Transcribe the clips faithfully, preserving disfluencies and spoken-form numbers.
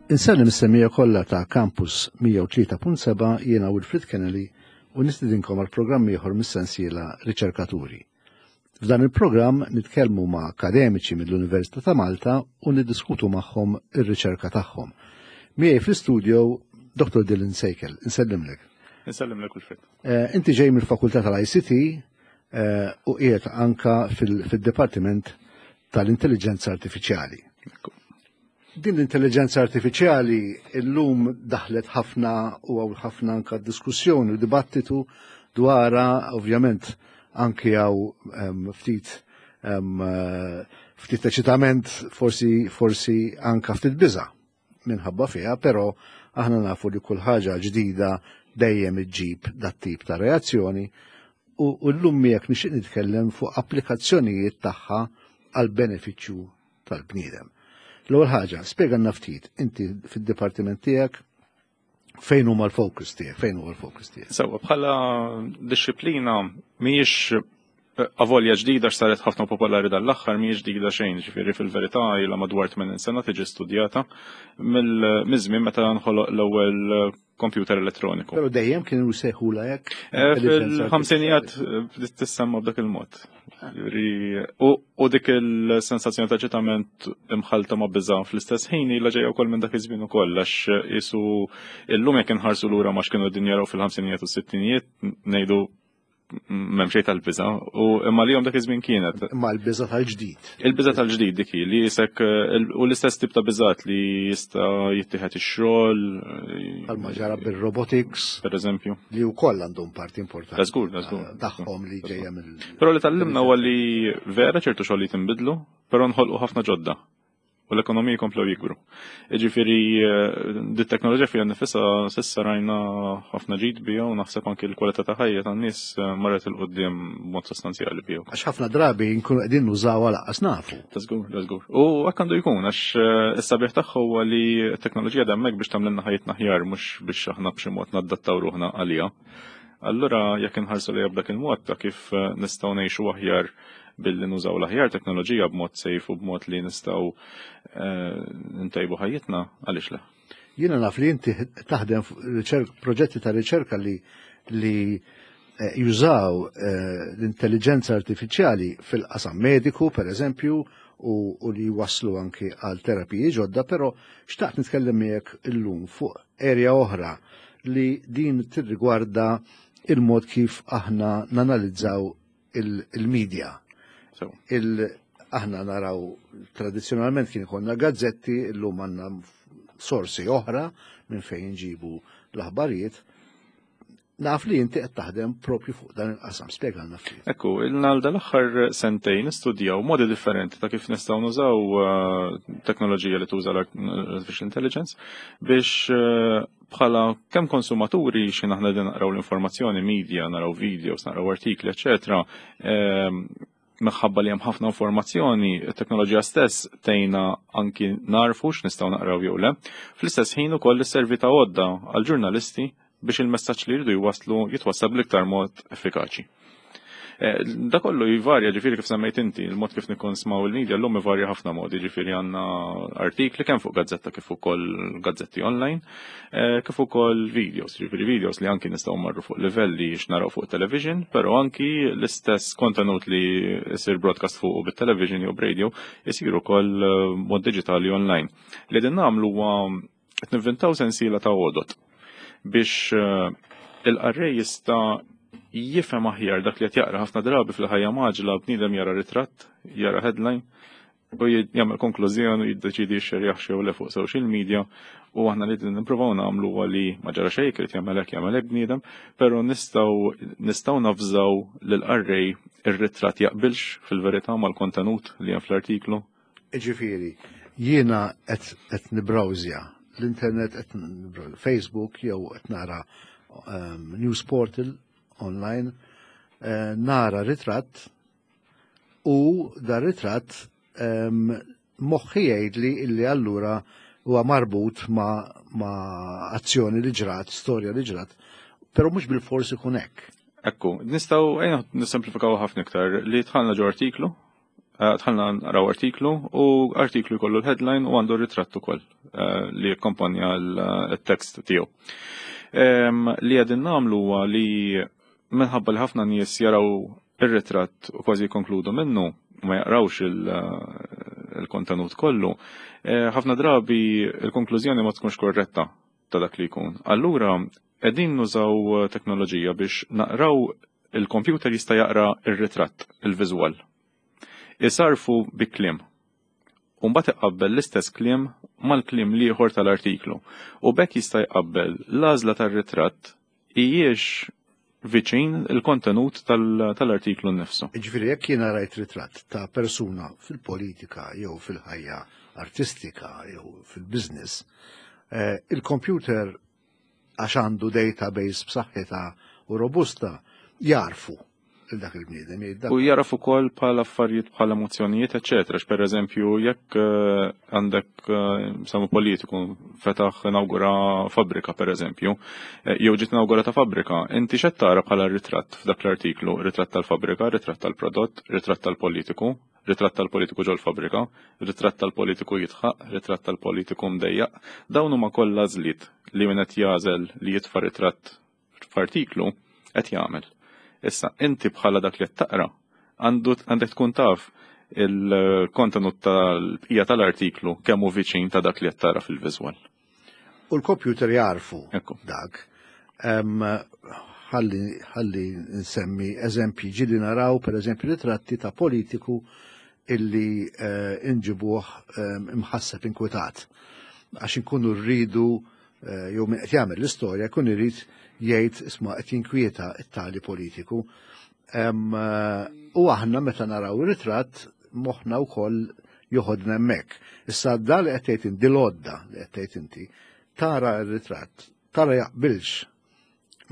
Insellem is-semmiegħa kollha ta' Campus mija u tlieta punt seba', jiena Wilfred Kennedy u nistidinkom għal programm ieħor mis-sensiela Riċerkaturi. F'dan il-programm nitkellmu ma' akademiċi mill-Università ta' Malta u niddiskutu magħhom ir-riċerka tagħhom. Miegħi fl-istudio Doctor Dylan Sejkel, insellimlek. Insellimlek, Wilfred. Eh, inti ġej mill-Fakultà tal-I C T eh, u qiegħed anka fil-Dipartiment tal-Intelligenza Artifiċjali. Din l-intelligenza artifiċjali illum daħlet ħafna u hawn ħafna anka diskussjoni u dibattitu dwarha, ovvjament anki hawn ftit ftit eċitament, forsi forsi anka ftit biża minħabba fiha, però aħna nafu li kull ħaġa ġdida dejjem iġġib dat tip ta' reazzjoni u llum miegħek nixtieq nitkellem fuq applikazzjonijiet tagħha għal benefiċċju tal-bniedem. L-ewwel ħaġa, spjegalna ftit, inti fid-dipartiment tiegħek fejn huma l-focus tiegħek, fejn huwa l-focus tiegħek? Sewwa, bħala dixxiplina mhijiex eh, avolja ġdida x'saret ħafna popolari dal-aħħar, mhijiex ġdida xejn, ġifieri fil-verità ilha madwar tmenin sena tiġi studjata mill-żmien meta nħoloq l-ewwel computer elettroniku. Però dejjem kienu jsejħula hekk? Eh, fil-ħamsinijiet eh, bdiet tissemma b'dak il-mod. U dik il-sensazzjoni ta' eċitament imħalta ma' biża fl-istess ħin ilha ġejja wkoll minn dak iż-żmien ukoll, għax jisu illum jekk inħarsu lura ma x'kienu din jaraw fil-ħamsinijiet u s-sittinijiet ngħidu m'hemm xejn tal-biża u imma li dak iż-żmien kienet. Imma l-biża tal-ġdid. Il-biża tal-ġdid dik li jisek u l-istess tip ta' biżat li jista' jittieħed ix-xogħol. Bħalma ġara bil-robotics. Per eżempju. Li wkoll għandhom parti importanti. Da żgur, da żgur. Tagħhom li ġejja mill. Però li tgħallimna huwa li vera ċertu xogħol li tinbidlu, però nħolqu ħafna ġodda u l-ekonomiji komplew jikbru. Ġifieri, di teknoloġija fija nifisha s'issa rajna ħafna ġid bija u naħseb anki l-kwalità ta' ħajja tan-nies marret 'il quddiem mod sostanzjali bija. Għax ħafna drabi nkunu qegħdin nużaw lanqas nafu. Ta' żgur, ta' żgur. U hekk għandu jkun, għax is-sabiħ tagħha huwa li t-teknoloġija hemmhekk biex tagħmlilna ħajjitna aħjar, mhux biex aħna b'xi mod naddattaw ruħna għaliha. Allura jekk inħarsu lejha b'dak il-mod ta' kif nistgħu ngħixu aħjar billi nużaw l-aħjar teknoloġija b'mod safe u b'mod li nistgħu ntajbu ħajjitna, għaliex le? Jiena naf li inti taħdem proġetti ta' riċerka li li jużaw l-intelligenza artifiċjali fil-qasam mediku, per eżempju, u li waslu anki għal terapiji ġodda, però xtaqt nitkellem miegħek illum fuq area oħra li din tirrigwarda il-mod kif aħna nanalizzaw il-media. Il aħna naraw tradizjonalment kien ikollna gazzetti, illum għandna sorsi oħra minn fejn nġibu l-aħbarijiet. Naf li inti qed taħdem propju fuq dan il-qasam, spjegalna ftit. Ekku, ilna dal-aħħar sentejn nistudjaw modi differenti ta' kif nistgħu nużaw teknoloġija li tuża l-artificial intelligence biex bħala kemm konsumaturi xi aħna din naqraw l-informazzjoni, media, naraw videos, naraw artikli, eċetera, minħabba li hemm ħafna informazzjoni, it-teknoloġija stess tgħinna anki narfu x'nistgħu naqraw jew le. Fl-istess ħin ukoll isservi ta' għodda għall-ġurnalisti biex il-messaġġ li jridu jwaslu jitwassal bl-iktar mod effikaċi. Da kollu jivarja, ġifieri kif semmejt inti, il-mod kif nikkonsmaw il-media l-lum jivarja ħafna modi, ġifieri għandna artikli kemm fuq gazzetta kif ukoll gazzetti online, kif ukoll videos, ġifieri videos li anki nistgħu marru fuq livelli x'naraw fuq television, però anki l-istess kontenut li jsir broadcast fuq bit-television jew radio jsir ukoll mod digitali online. Li din nagħmlu huwa qed nivvintaw sensiela ta' għodot biex il-qarrej jista' jifhem aħjar dak li qed jaqra. Ħafna drabi fil-ħajja mgħaġġla bniedem jara ritratt, jara headline u jagħmel konklużjoni u jiddeċidi jxerjaħ jew le fuq social media, u aħna li nippruvaw nagħmlu huwa li ma ġara xejn irid jagħmel hekk jagħmel hekk bniedem, però nistgħu nistgħu nafżaw lil qarrej ir-ritratt jaqbilx fil-verità mal-kontenut li hemm fl-artiklu. Ġifieri, jiena qed nibrawżja l-internet, qed Facebook jew qed nara um, news portal online, eh, nara ritratt u dar ritratt um, moħħi jgħidli illi allura huwa marbut ma, ma azzjoni li ġrat, storja li ġrat, però mhux bil-forsi ikun hekk. Ekku, nistgħu ejja nissemplifikaw ħafna iktar li dħalna ġo artiklu, Eh, dħalna naraw artiklu u artiklu jkollu l-headline u għandu ritratt ukoll eh, li jakkompanja l-tekst tiegħu. Li qegħdin nagħmlu huwa li minħabba li ħafna nies jaraw ir-ritratt u kważi jkonkludu minnu ma jaqrawx il-kontenut kollu, eh, ħafna drabi il-konklużjoni ma tkunx korretta ta' dak li jkun. Allura, qegħdin nużaw teknoloġija biex naqraw, il-computer jista' jaqra ir-ritratt, il-viżwal. Isarfu bi kliem. U mbagħad iqabbel l-istess kliem mal-kliem l-ieħor tal-artiklu. U b'hekk jista' jqabbel l-għażla tar-ritratt hijiex viċin il-kontenut tal-artiklu nnifsu. Ġifieri jekk jiena rajt ritratt ta' persuna fil-politika jew fil-ħajja artistika jew fil-business, eh, il-computer, għax għandu database b'saħħitha u robusta, jarfu dak il-bniedem. U jaraf ukoll bħala affarijiet bħala emozzjonijiet, eċetera. Per eżempju, jekk eh, għandek eh, samu politiku fetaħ inaugura fabbrika, per eżempju, eh, jew ġiet inaugurata fabbrika, inti x'qed tara bħala ritratt f'dak l-artiklu? Ritratt tal-fabbrika, ritratt tal-prodott, ritratt tal-politiku, ritratt tal-politiku ġol fabbrika, ritratt tal-politiku jidħaq, ritratt tal-politiku mdejjaq. Dawn huma kollha għażliet li min qed jagħżel li jitfa' ritratt f'artiklu qed jagħmel. Issa, inti bħala dak li qed taqra, għandek tkun taf il-kontenut tal-bqija tal-artiklu kemm hu viċin ta' dak li qed tara fil-viżwal. U l-computer jarfu dak. Ħalli nsemmi eżempji. Ġieli naraw, per eżempju, ritratti ta' politiku illi eh, inġibuh imħasseb, inkwetat. Għax inkunu rridu, eh, jew min qed jagħmel l-istorja jkun irid jgħid, "Isma', qed jinkwieta it-tali politiku." Eh, u aħna meta naraw ir-ritratt moħħna wkoll joħodna hemmhekk. Issa da li qed tgħid inti, l-għodda li qed tgħid inti, tara r-ritratt, tara jaqbilx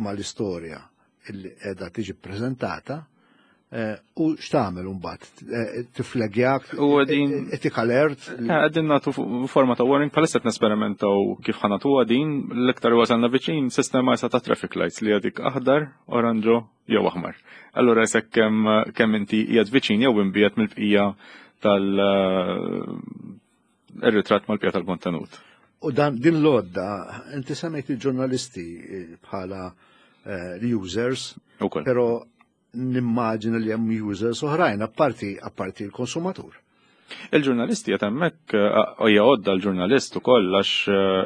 mal-istorja illi qiegħda tiġi ppreżentata eh, u x'tagħmel imbagħad? Eh, tiflegjak, U għedin- ittik alert? Qegħdin nagħtu forma ta' warning, bħalissa qed nesperimentaw kif ħa nagħtuha din. L-iktar wasalna viċin sistema issa ta' traffic lights li għadik aħdar, oranġo jew aħmar. Allura jisek kemm kemm inti qiegħed viċin jew imbiegħed mill-bqija tal ir-ritratt mal-bqija tal-kontenut. U dan din l-għodda, inti semmejt il-ġurnalisti eh, bħala eh, users, Ukoll. pero nimmaġina li hemm users oħrajn, apparti apparti l-konsumatur. Il-ġurnalisti qed hemmhekk, hija għodda l-ġurnalist ukoll, għax eh,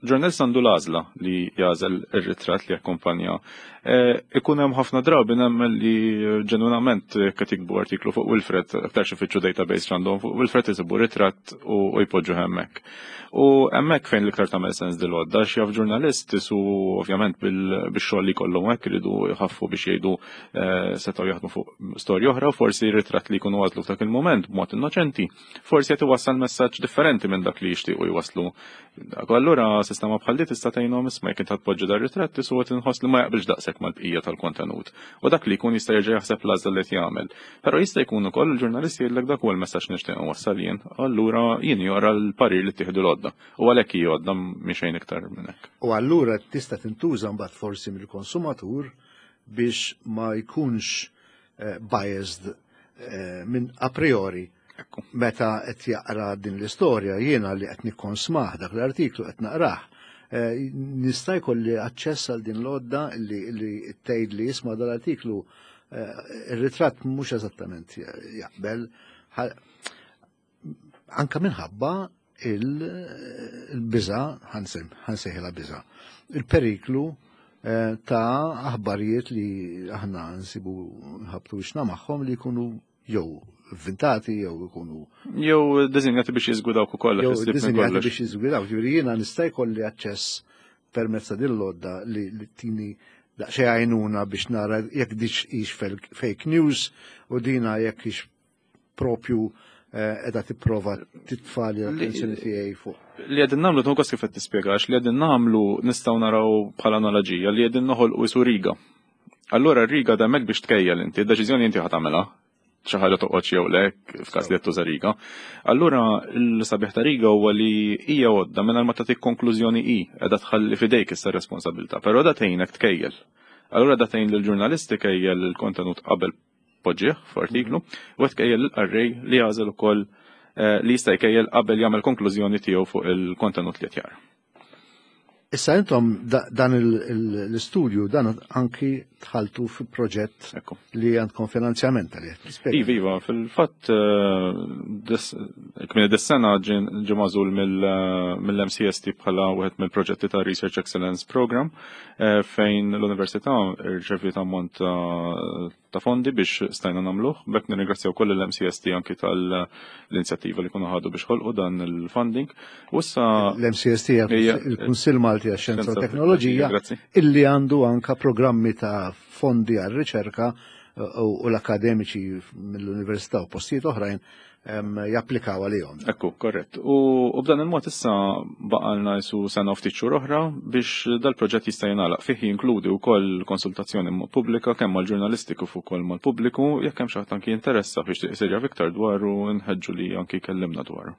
ġurnalist għandu l-għażla li jagħżel ir-ritratt li jakkumpanja. Eh, Ikun hemm ħafna drabi, nemmen li ġenwinament qed jiktbu artiklu fuq Wilfred, aktar xi fittxu database għandhom fuq Wilfred, isibu ritratt u u jpoġġu hemmhekk. U hemmhekk fejn l-iktar tagħmel sens dil-għodda, xi jaf ġurnalist isu ovvjament bil-xogħol li jkollhom hekk iridu jħaffu biex jgħidu eh, setgħu jaħdmu fuq storja oħra u forsi ritratt li jkunu għażlu f'dak il-moment b'mod innoċenti, forsi qed iwassal messaġġ differenti minn dak li jixtiequ jwasslu. Dak, allura sistema bħal di tista' tgħinhom, isma', jekk inti tpoġġi dar ritratt isu qed inħoss li ma jaqbilx daqshekk mal-bqija tal-kontenut. U dak li jkun jista' jerġa' jaħseb l-għażla li qed jagħmel. Però jista' jkun ukoll il-ġurnalist jgħidlek, "Dak huwa l-messaġġ nixtieq nwassal jien." Allura jien jora l-parir li ttieħdu l-għodda. U għalhekk hi għodda, mhi xejn iktar minn hekk. U allura tista' tintuża mbagħad forsi mill-konsumatur biex ma jkunx eh, biased eh, minn a priori Ekku. meta qed jaqra din l-istorja. Jiena li qed nikkonsmah dak l-artiklu, qed naqrah, eh, nista' jkolli aċċess għal din l-għodda li li tgħid li, "Isma', dal-artiklu eh, ir-ritratt mhux eżattament jaqbel," Ħa- anka minħabba il-biża, ħa nsejħilha biża, il-periklu eh, ta' aħbarijiet li aħna nsibu nħabtu wiċċna magħhom li jkunu jew inventati jew ikunu Jew disinjati biex jiżgwidawk ukoll. Jew issib minn disinjati kollox. biex jiżgwidaw. Ġifieri jiena nista' jkolli aċċess permezz ta' din l-għodda li li tini daqsxejn għajnuna biex nara jekk dix hix fake news u dina jekk hix propju eh, qiegħda tipprova titfa' l-attenzjoni tiegħi fuq. Li qegħdin nagħmlu, tkun kif qed tispjegax, li qegħdin nagħmlu nistgħu naraw bħala analoġija li qegħdin noħolqu isu riga. Allura r-riga hemmhekk biex tkejjel inti, id-deċiżjoni inti ħa tagħmilha, xi ħaġa toqgħod jew le f'każ li qed tuża riga. Allura l-sabiħ ta' riga huwa li hija għodda mingħajr ma tagħtik konklużjoni, hi qiegħda tħalli f'idejk issa responsabilità, però da tgħinek tkejjel. Allura da tgħin lill-ġurnalisti kejjel il-kontenut qabel tpoġġih f'artiklu u qed tkejjel il-qarrej li jagħżel ukoll eh, li jista' jkejjel qabel jagħmel konklużjoni tiegħu fuq il-kontenut li qed jara. Issa intom dan l-istudju dan anki dħaltu fi proġett li għandkom finanzjament għalih. Iva, iva, fil-fatt kmini dis-sena ġie magħżul mill-M C S T bħala wieħed mill-proġetti ta' Research Excellence Program, eh, fejn l-Università rċeviet ammont ta' fondi biex stajna nagħmluh. B'hekk nirringrazzjaw koll l-M C S T anki tal-inizjattiva li kunu ħadu biex ħolqu dan il-funding. U issa L-M C S T, il-Kunsill Malti għax-Xjenza u Teknoloġija, illi għandu anka programmi ta' fondi għal-riċerka u l-akademiċi mill-Università u postijiet oħrajn japplikaw għalihom. Ekku, korrett. U b'dan il-mod issa baqalna jisu sena ftit xhur oħra biex dal-proġett jista' jingħalaq. Fih jinkludi wkoll konsultazzjoni pubblika kemm mal-ġurnalisti kif ukoll mal-pubbliku. Jekk hemm xi ħadd anki jinteressa biex isir jaf iktar dwaru, nħeġġu li anki jkellimna dwaru.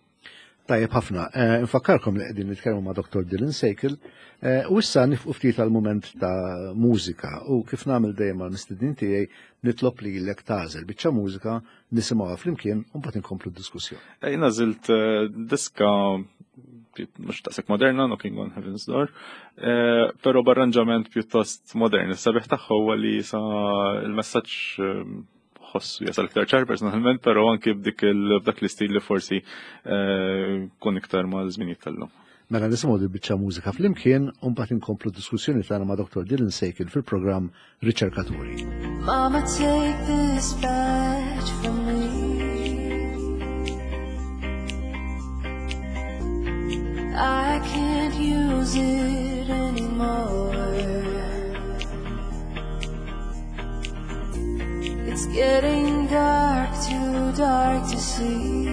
Tajjeb ħafna. Eh, nfakkarkom li qegħdin nitkellmu ma' Doktor Dylan Sejkel eh, u issa nieqfu ftit għal mument ta' mużika u kif nagħmel dejjem mal-mistednin tiegħi nitlob lilek tagħżel biċċa mużika, nisimgħuha flimkien u mbagħad inkomplu d-diskussjoni. Jien għażilt eh, diska mhux daqshekk moderna, Knocking on Heaven's Door, però b'arranġament pjuttost modern. Is-sabiħ tagħha huwa li sa il-messaġġ ħossu jasal iktar ċar personalment, però anki b'dik b'dak l-istil li forsi kun iktar mal-żminijiet tal-lum. Mela nisimgħu il-biċċa mużika flimkien u mbagħad inkomplu diskussjoni tagħna ma' Doktor Dylan Sejkel fil-programm Riċerkaturi. Mama, take this badge from me. I can't use it anymore. It's getting dark, too dark to see.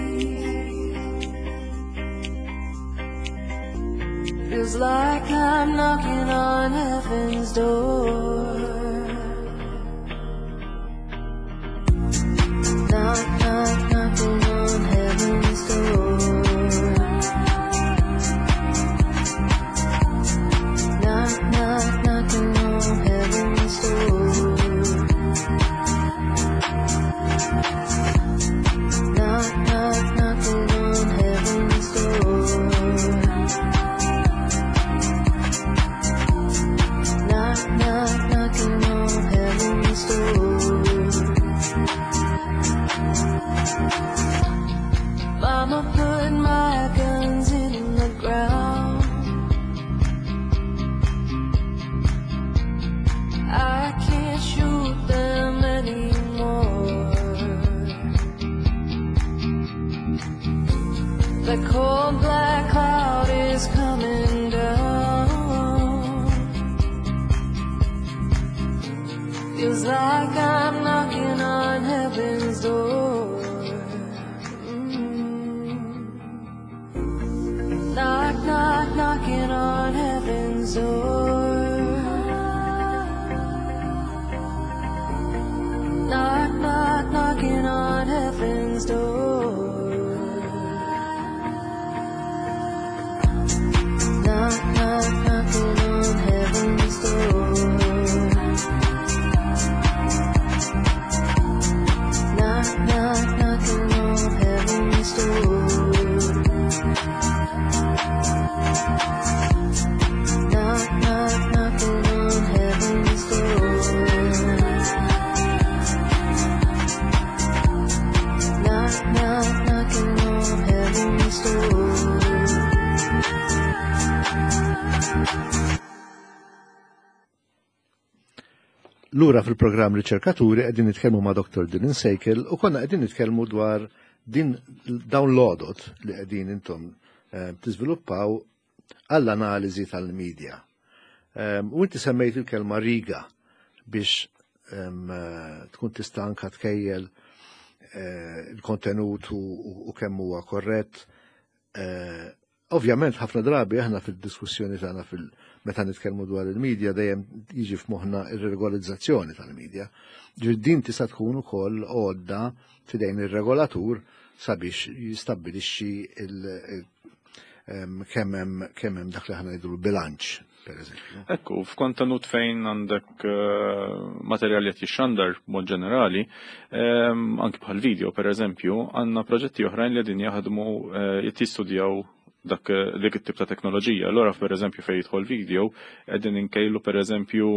Feels like I'm knocking on heaven's door. Knock, knock, knocking on heaven's door. Knock, knock, knocking on heaven's door. Knock, knock, knocking on heaven's door. Knock, knock, knocking on heaven's door. Mama put my guns in the ground. I can't shoot them anymore. The cold black cloud is coming down. Feels like I'm knocking on heaven's door. Mm. Knock, knock, knocking on heaven's door. Knock, knock, knocking on heaven's door. Knock, knock, knocking on heaven's door. Knock, knock, knocking on heaven's door. Knock, knock, knocking on heaven's door. Knock, knock, knocking on heaven's door. Lura fil-programm Riċerkaturi, qegħdin nitkellmu ma' Doktor Dylan Sejkel u konna qegħdin nitkellmu dwar din dawn l-għodot li qegħdin intom eh, tiżviluppaw għall-analiżi tal-medja. Em, U inti semmejt il-kelma riga biex em, eh, tkun tista' anka tkejjel eh, il-kontenut u, u, u kemm huwa korrett. Eh, Ovvjament ħafna drabi aħna fil-diskussjoni tagħna fil meta nitkellmu dwar il-medja dejjem jiġi f'moħħna ir-regolizzazzjoni tal-medja. Ġifieri din tista' tkun ukoll għodda f'idejn ir-regolatur sabiex jistabbilixxi il- kemm hemm kemm hemm dak li aħna ngħidu bilanċ, per eżempju. Ekku, f'kontenut fejn għandek eh, materjal li jixxandar mod ġenerali, anki bħal video per eżempju, għandna proġetti oħrajn li qegħdin jaħdmu eh, jistudjaw dak dik it-tip ta' teknoloġija. Allora per eżempju fejn jidħol video, qegħdin inkejlu per eżempju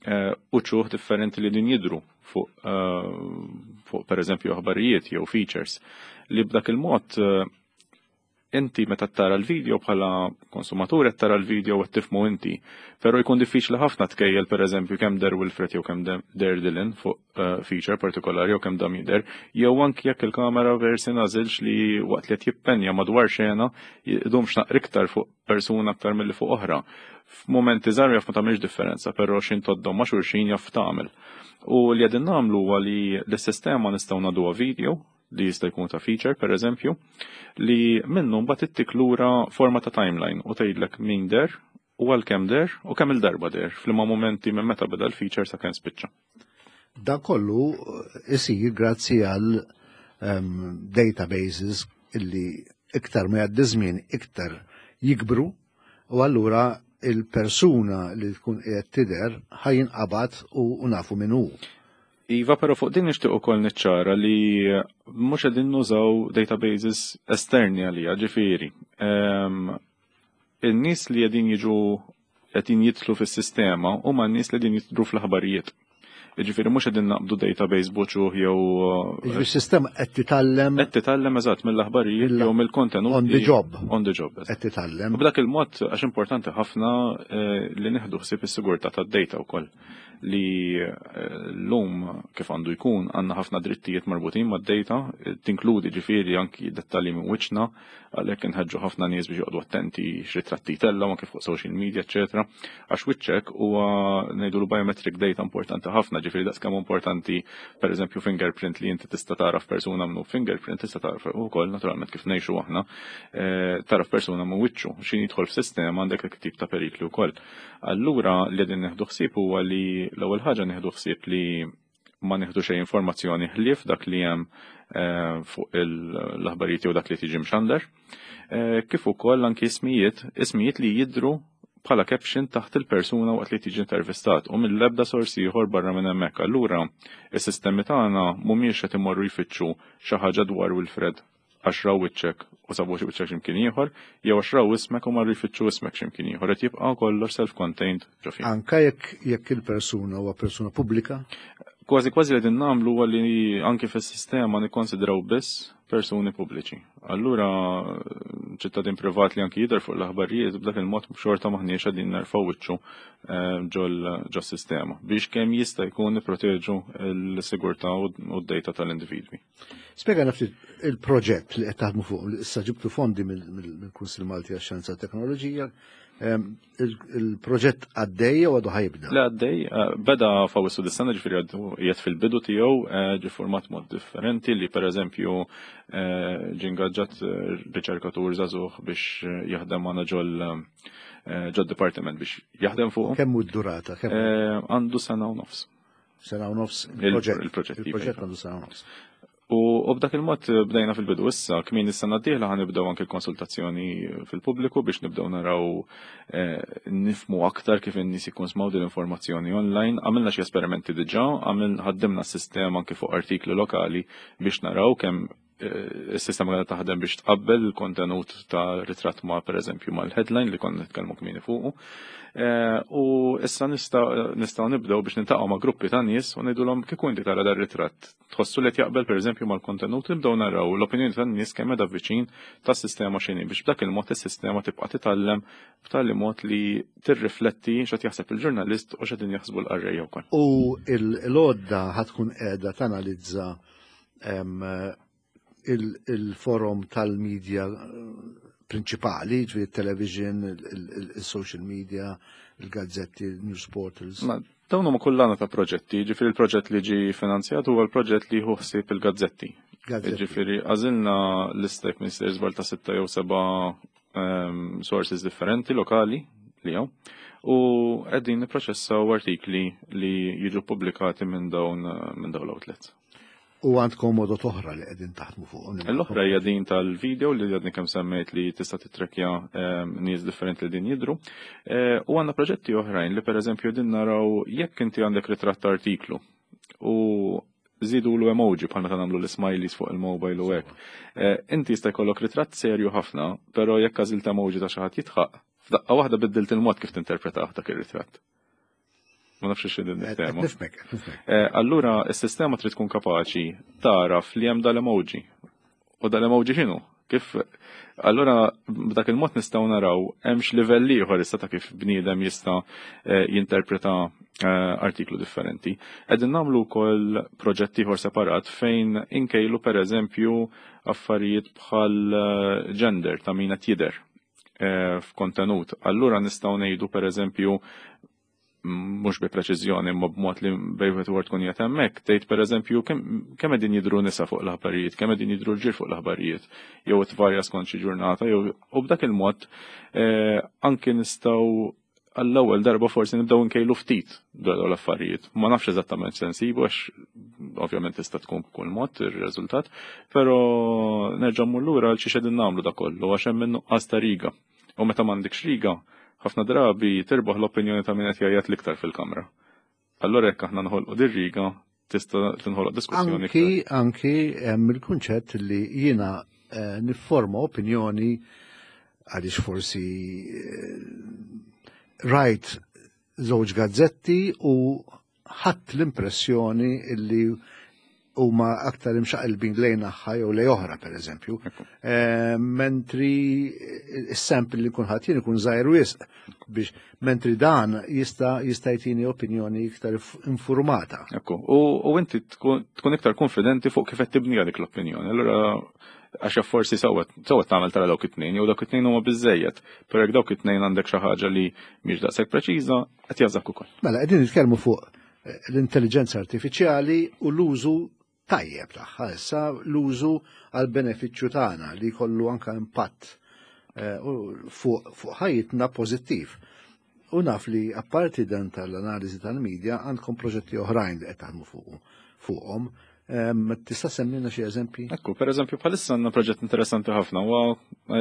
eh, uċuħ differenti li din jidru fuq fuq per eżempju aħbarijiet jew features li b'dak il-mod inti meta tara l-video bħala konsumatur qed tara l-video u tifhmu inti, però jkun diffiċli ħafna tkejjel pereżempju kemm deher Wilfred jew kemm deher Dylan fuq uh, feature partikolari jew kemm dam jidher, jew anki jekk il-kamera versi nażilx li waqt li qed jippenja madwar xena jdumx naqra iktar fuq persuna aktar milli fuq oħra. F'momenti żgħar jaf ma tagħmilx differenza, però x'ħin tgħoddhom ma' xulxin jaf tagħmel. U li qegħdin nagħmlu huwa li l-sistema nistgħu ngħadduha video li jista' jkun ta' feature, per eżempju, li minnu mbagħad ittik lura forma ta' timeline u tgħidlek min deher u għal kemm deher u kemm il-darba deher f'liema momenti minn meta beda l-feature sa kemm spiċċa. Dan kollu isir grazzi għal um, databases illi iktar ma jgħaddi żmien iktar jikbru u allura il-persuna li tkun qiegħed tidher ħa jinqabad u nafu min hu. Iva, pero fuq din nixtieq ukoll niċċara li mhux qegħdin nużaw databases esterni għalija, ġifieri. In-nies li qegħdin jiġu qegħdin jidħlu fis-sistema huma n-nies li qegħdin jidħlu fl-aħbarijiet. Ġifieri mhux qegħdin naqbdu database b'uċuħ jew Ġifieri s-sistema qed titgħallem qed titgħallem eżatt mill-aħbarijiet jew mill-kontenut. On the job. On the job. Qed titgħallem. U b'dak il-mod għax importanti ħafna eh, li nieħdu ħsieb is-sigurtà tad-data wkoll li eh, l-lum kif għandu jkun għandna ħafna drittijiet marbutin mad-data, tinkludi ġifieri anki dettalji minn wiċċna, għalhekk inħeġġu ħafna nies biex joqgħodu attenti x'ritratti tellgħu anke fuq social media, eċetera. Għax wiċċek huwa ngħidu biometric data importanti ħafna, ġifieri daqs kemm importanti pereżempju fingerprint li inti tista' taraf persuna minnu fingerprint, tista' taraf ukoll naturalment kif ngħixu aħna, eh, taraf persuna minn wiċċu, x'ħin jidħol f'sistema għandek tip ta' perikli wkoll. Allura li qegħdin nieħdu ħsieb huwa li l-ewwel ħaġa nieħdu ħsieb li ma nieħdu xejn informazzjoni ħlief dak li hemm eh, fuq l-aħbarijiet jew dak li tiġi mxandar. Eh, kif ukoll anki ismijiet, ismijiet li jidru bħala caption taħt il-persuna waqt li tiġi intervistat u mill-ebda sorsi ieħor barra minn hemmhekk. Allura is-sistemi tagħna mhumiex qed imorru jfittxu xi ħaġa dwar Wilfred għax raw wiċċek u sabu xi wiċċek x'imkien ieħor, jew għax raw ismek u marru jfittxu ismek x'imkien ieħor, qed jibqa' kollox self-contained ġo fih. Anka jekk jekk il-persuna huwa persuna pubblika? Kważi kważi li din nagħmlu huwa li anki fis-sistema nikkonsidraw biss persuni pubbliċi. Allura ċittadin privat li anki jidher fuq l-aħbarijiet b'dak il-mod xorta maħniex qegħdin nerfgħu wiċċu eh, ġol sistema biex kemm jista' jkun nipproteġu l-sigurtà u d-data tal-individwi. Spjega ftit il-proġett li qed taħdmu fuq, li issa ġibtu fondi mill-Kunsill Malti għax-Xjenza u Teknoloġija, il-proġett għaddej u għadu ħa jibda? Le għaddej, eh, beda f'Awwissu dis-sena ġifieri għadu qiegħed fil-bidu tiegħu eh, ġi format mod differenti li per eżempju eh, ġi ingaġġat riċerkatur żagħżugħ biex jaħdem magħna ġol ġod dipartiment biex jaħdem fuq. Kemm hu d-durata? Għandu sena u nofs. Sena u nofs il-proġett. Il-proġett għandu sena u nofs. U b'dak il-mod bdejna fil-bidu issa, kmieni is-sena d-dieħla ħa nibdew anke l-konsultazzjoni fil-pubbliku biex nibdew naraw eh, nifhmu aktar kif in-nies jikkonsmaw din l-informazzjoni online. Għamilna xi esperimenti diġà, għamil ħaddimna s-sistema anke fuq artikli lokali biex naraw kemm eh, is-sistema għadha taħdem biex tqabbel il-kontenut ta' ritratt ma' pereżempju mal-headline li konna nitkellmu kmieni fuqu. Eh, u issa nistgħu nibdew biex niltaqgħu ma' gruppi ta' nies u ngħidulhom kieku inti tara dar ritratt. Tħossu li jaqbel pereżempju mal-kontenut nibdew naraw l-opinjoni tan-nies kemm qiegħda viċin tas-sistema x'inhi biex b'dak il-mod is-sistema tibqa' titgħallem b'tali mod li tirrifletti x'qed jaħseb il-ġurnalist u x'qegħdin jaħsbu l-qarrejja wkoll. U l-għodda ħa tkun qiegħda tanalizza il-forum tal-medja prinċipali, ġifieri television, il-social media, il-gazzetti, il-news portals. Ma dawn huma kullana ta' proġetti, ġifieri il-proġett li ġi finanzjat huwa l-proġett li hu ħsieb il-gazzetti. Ġifieri għażilna lista jekk m'iniex żball ta' sitta jew seba' ehm, sources differenti lokali li hawn u qegħdin nipproċessaw artikli li jiġu pubblikati minn dawn minn dawn l-outlets. U għandkom modot oħra li qegħdin taħdmu fuqhom. L-oħra hija din tal-video li għadni kemm semmejt li tista' titrekja ehm, nies differenti li din jidru. Eh, u għandna proġetti oħrajn li pereżempju din naraw jekk inti għandek ritratt artiklu u żidu l emoji bħal meta nagħmlu l-smileys fuq il-mobile u hekk. Eh, inti jista' jkollok ritratt serju ħafna, però jekk għażilt emoji ta' xi ħadd jidħaq, f'daqqa waħda biddilt il-mod kif tinterpretah dak ir-ritratt. Ma nafx x'in tema. Nifhmek, nifhmek. Eh, allura s-sistema trid tkun kapaċi taraf li hemm dal-emoji. U dal-emoji x'inhu? Kif allura b'dak il-mod nistgħu naraw hemmx livell ieħor issa ta' kif bniedem jista' eh, jinterpreta eh, artiklu differenti. Qegħdin nagħmlu wkoll proġett ieħor separat fejn inkejlu pereżempju affarijiet bħal gender ta' min qed jidher f'kontenut. Allura nistgħu ngħidu pereżempju mhux bi preċiżjoni imma b'mod li bejn wieħed tkun qiegħed hemmhekk, tgħid pereżempju kemm qegħdin jidhru nisa fuq l-aħbarijiet, kemm qegħdin jidhru rġiel fuq l-aħbarijiet, jew tvarja skont xi ġurnata, jew u b'dak il-mod eh, anki nistgħu għall-ewwel darba forsi nibdew nkejlu ftit dwar dawn l-affarijiet. Ma nafx eżattament sensibu għax ovvjament tista' tkun b'kull mod ir-riżultat, però nerġa' mmur lura għal xi qegħdin nagħmlu da kollu għax hemm nuqqas ta' riga. U meta m'għandekx riga, ħafna drabi tirbaħ l-opinjoni ta' min qed jgħajjat l-iktar fil-kamra. Allora jekk aħna nħolqu dir-riga, tista' tinħoloq diskussjoni. Anki anki hemm il-kunċett li jiena eh, nifforma opinjoni għaliex forsi eh, rajt żewġ gazzetti u ħadd l-impressjoni illi huma aktar imxaqilbin lejn naħa jew lej oħra pereżempju. Eh, mentri is-sample li kun ħadd jien ikun żgħir wisq biex mentri dan jista' jista' jtini opinjoni iktar informata. Ekku, u inti tkun iktar konfidenti fuq kif qed tibni dik l-opinjoni. Allura għax forsi sewwa sewwa tagħmel tara dawk it-tnejn jew dawk it-tnejn huma biżejjed, però jekk dawk it-tnejn għandek xi ħaġa li mhix daqshekk preċiża, qed jażak ukoll. Mela qegħdin nitkellmu fuq eh, l-intelligenza artifiċjali u l-użu tajjeb tagħha issa l-użu għal benefiċċju tagħna li jkollu anka impatt eh, fuq ħajjitna pożittiv. U naf li apparti dan tal-analiżi tal-medja għandkom proġetti oħrajn li qed taħdmu fuqhom. Tista' semmilna xi eżempji? Ekku, per eżempju bħalissa għandna proġett interessanti ħafna u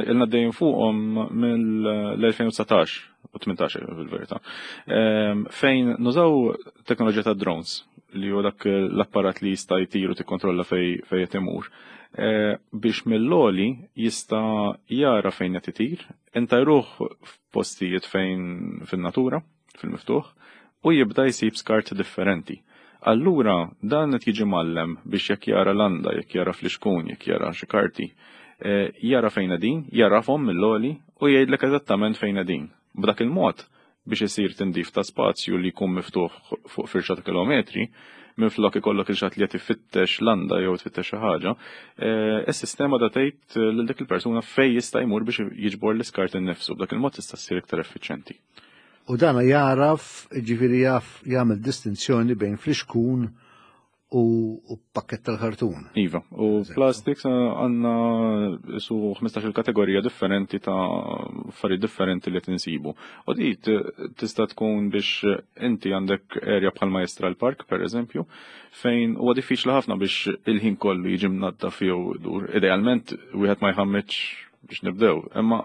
ilna dejjem fuqhom mill-elfejn u dsatax u tmintax fil-verità. Fejn nużaw teknoloġija ta' drones li huwa dak l-apparat li jista' jtir u tikkontrolla fej fej qed imur. Biex mill-għoli jista' jara fejn qed itir, inta jruħ f'postijiet fejn fin-natura, fil-miftuħ, u jibda jsib skart differenti. Allura dan qed jiġi mgħallem biex jekk jara landa, jekk jara flixkun, jekk jara xi karti, jara fejn qegħdin, jarafhom mill-għoli u jgħidlek eżattament fejn qegħdin. B'dak il-mod biex isir tindif ta' spazju li jkun miftuħ fuq firxa ta' kilometri, minflok ikollok il-xat li qed ifittex landa jew tfittex xi ħaġa, is-sistema da tgħid lil dik il-persuna fejn jista' jmur biex jiġbor l-iskart innifsu. B'dak il-mod tista' ssir iktar effiċjenti. U dana jaraf, ġifieri jaf jagħmel distinzjoni bejn flixkun u, u pakket tal-kartun. Iva, u plastics għandna su ħmistax-il kategorija differenti ta' affarijiet differenti li tinsibu. U di tista' tkun biex inti għandek area bħal Majjistral Park, per eżempju, fejn huwa diffiċli ħafna biex il-ħin kollu jiġi mnaddaf jew dur. Idealment wieħed ma jħammitx biex nibdew, imma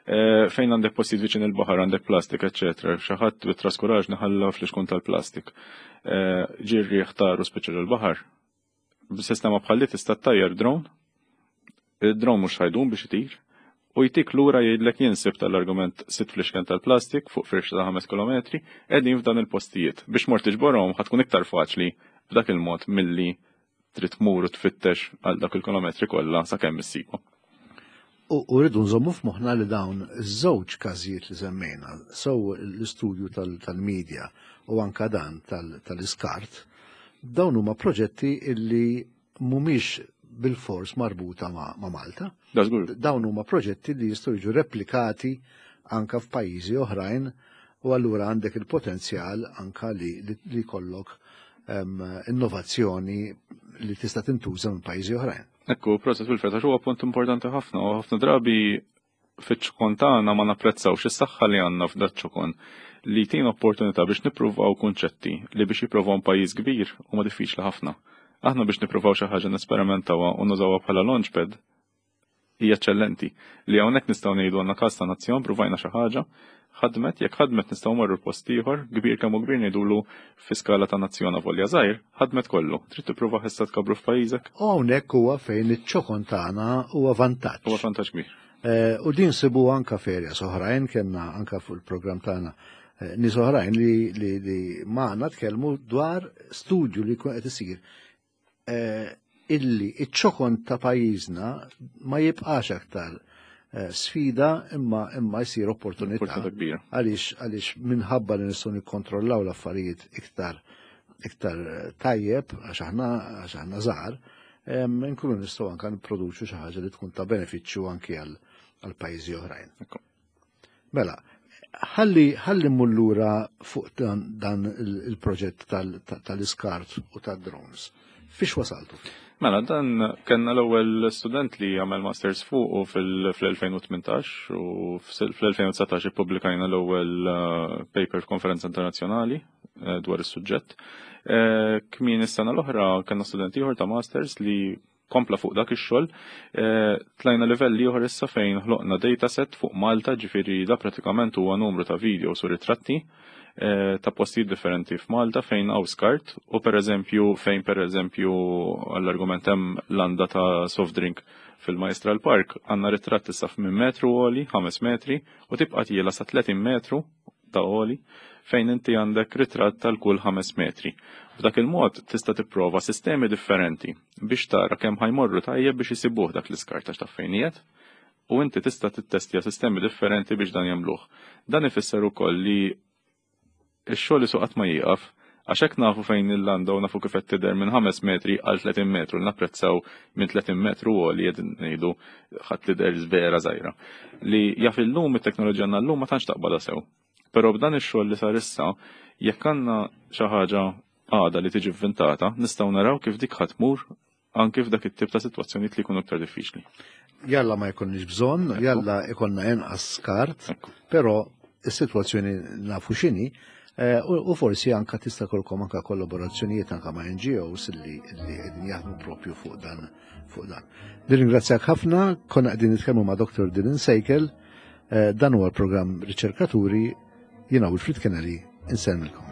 eh, fejn għandek postijiet viċin il-baħar, għandek plastik, eċetera, xi ħadd bit-traskuraġni ħalla flixkun tal-plastik. Eh, ġirri ħtaru speċjal il-baħar. B'sistema bħal li tista' ttajjar drone, il-drone mhux ħajdum biex itir, u jtik lura jgħidlek jinsib tal-argument sitt flixken tal-plastik fuq firxa ta' ħames kilometri qegħdin f'dan il-postijiet. Biex mort tiġborhom ħa tkun iktar faċli b'dak il-mod milli trid tmur u tfittex għal dak il-kilometri kollha sakemm issibhom. U rridu nżommu f'moħħna li dawn iż-żewġ każijiet li semmejna, sew l-istudju tal-medja u anka dan tal-iskart, dawn huma proġetti illi mhumiex bil-fors marbuta ma' Malta. Da żgur. Dawn huma proġetti li jistgħu jiġu replikati anka f'pajjiżi oħrajn u allura għandek il-potenzjal anka li, li, li kollok um, innovazzjoni li tista' tintuża minn pajjiżi oħrajn. Ekku, proset fil-fatt, għax huwa punt importanti ħafna, u ħafna drabi fiċ-ċokon tagħna ma napprezzawx is-saħħa li għandna f'daċ-ċokon li tina opportunità biex nippruvaw kunċetti li biex jippruvaw pajjiż kbir huma diffiċli ħafna. Aħna biex nippruvaw xi ħaġa nesperimentawa u nużawha bħala launchpad hija eċċellenti. Li hawnhekk nistgħu ngħidu għandna każ ta' nazzjon, pruvajna xi ħaġa, ħadmet, jekk ħadmet nistgħu morru post ieħor, kbir kemm hu kbir ngħidulu fi skala ta' nazzjon avolja żgħir, ħadmet kollu. Trid tipprova issa tkabbru f'pajjiżek? U hawnhekk huwa fejn iċ-ċokon tagħna huwa vantaġġ. Huwa vantaġġ kbir. Eh, u din sibu anka f'areas oħrajn, kellna anka fuq il-programm tagħna eh, nies oħrajn li, li, li magħna tkellmu dwar studju li jkun qed isir eh, illi iċ-ċokon ta' pajjiżna ma jibqax aktar eh, sfida imma imma jsir opportunità. Opportunità kbira. Għaliex għaliex minħabba li nistgħu nikkontrollaw l-affarijiet iktar iktar tajjeb għax aħna għax aħna żgħar, em, nkunu nistgħu anke nipproduċu xi ħaġa li tkun ta' benefiċċju anki għal għal pajjiżi oħrajn. Ekku. Mela, ħalli ħalli mmur lura fuq dan, dan il- il-proġett tal- tal-iskart u tad-drones. Fiex wasaltu? Mela, dan kellna l-ewwel student li għamel masters fuq u fil-elfejn u tmintax u fl-elfejn u dsatax ippubblikajna l-ewwel eh, paper f'konferenza internazzjonali eh, dwar is-suġġett. Eh, Kmieni is-sena l-oħra kellna student ieħor ta' masters li kompla fuq dak ix-xogħol. Tlajna livell ieħor issa fejn ħloqna dataset fuq Malta, ġifieri da pratikament huwa numru ta' videos u ritratti eh, ta' postijiet differenti f'Malta fejn hawn skart u per eżempju fejn per eżempju għall-argument hemm landa ta' soft drink fil-Majstral Park għandna ritratt issa minn metru għoli, ħames metri, u tibqa' tiela sa tletin metru ta' għoli fejn inti għandek ritratt tal-kull ħames metri. B'dak il-mod tista' tipprova sistemi differenti biex tara kemm ħa jmorru tajjeb biex isibuh dak l-iskart għax taf fejn qiegħed, u inti tista' tittestja sistemi differenti biex dan jagħmluh. Dan ifisser ukoll li x-xogħol isu qatt ma jieqaf għax hekk nafu fejn il-landa u nafu kif qed tidher minn ħames metri għal tletin metru, napprezzaw minn tletin metru u li qed ngħidu ħadd tidher vera żgħira. Li jaf illum it-teknoloġija għandna llum ma tantx taqbadha sew. Però b'dan ix-xogħol li sar issa, jekk għandna xi ħaġa għada li tiġi vvintata, nistgħu naraw kif dik ħa tmur anke f'dak it-tip ta' sitwazzjonijiet li jkunu aktar diffiċli. Jalla ma jkollniex bżonn, jalla ikollna inqas skart, Ekku. però is-sitwazzjoni nafu x'inhi, eh, u u forsi anka tista' jkollkom anka kollaborazzjonijiet anka ma' N G Os li li qegħdin jaħdmu propju fuq dan fuq dan. Nirringrazzjak ħafna, konna qegħdin nitkellmu ma' Doktor Dylan Sejkel, eh, dan huwa l-programm Riċerkaturi, jiena Wilfried Kennedy, insellmilkom.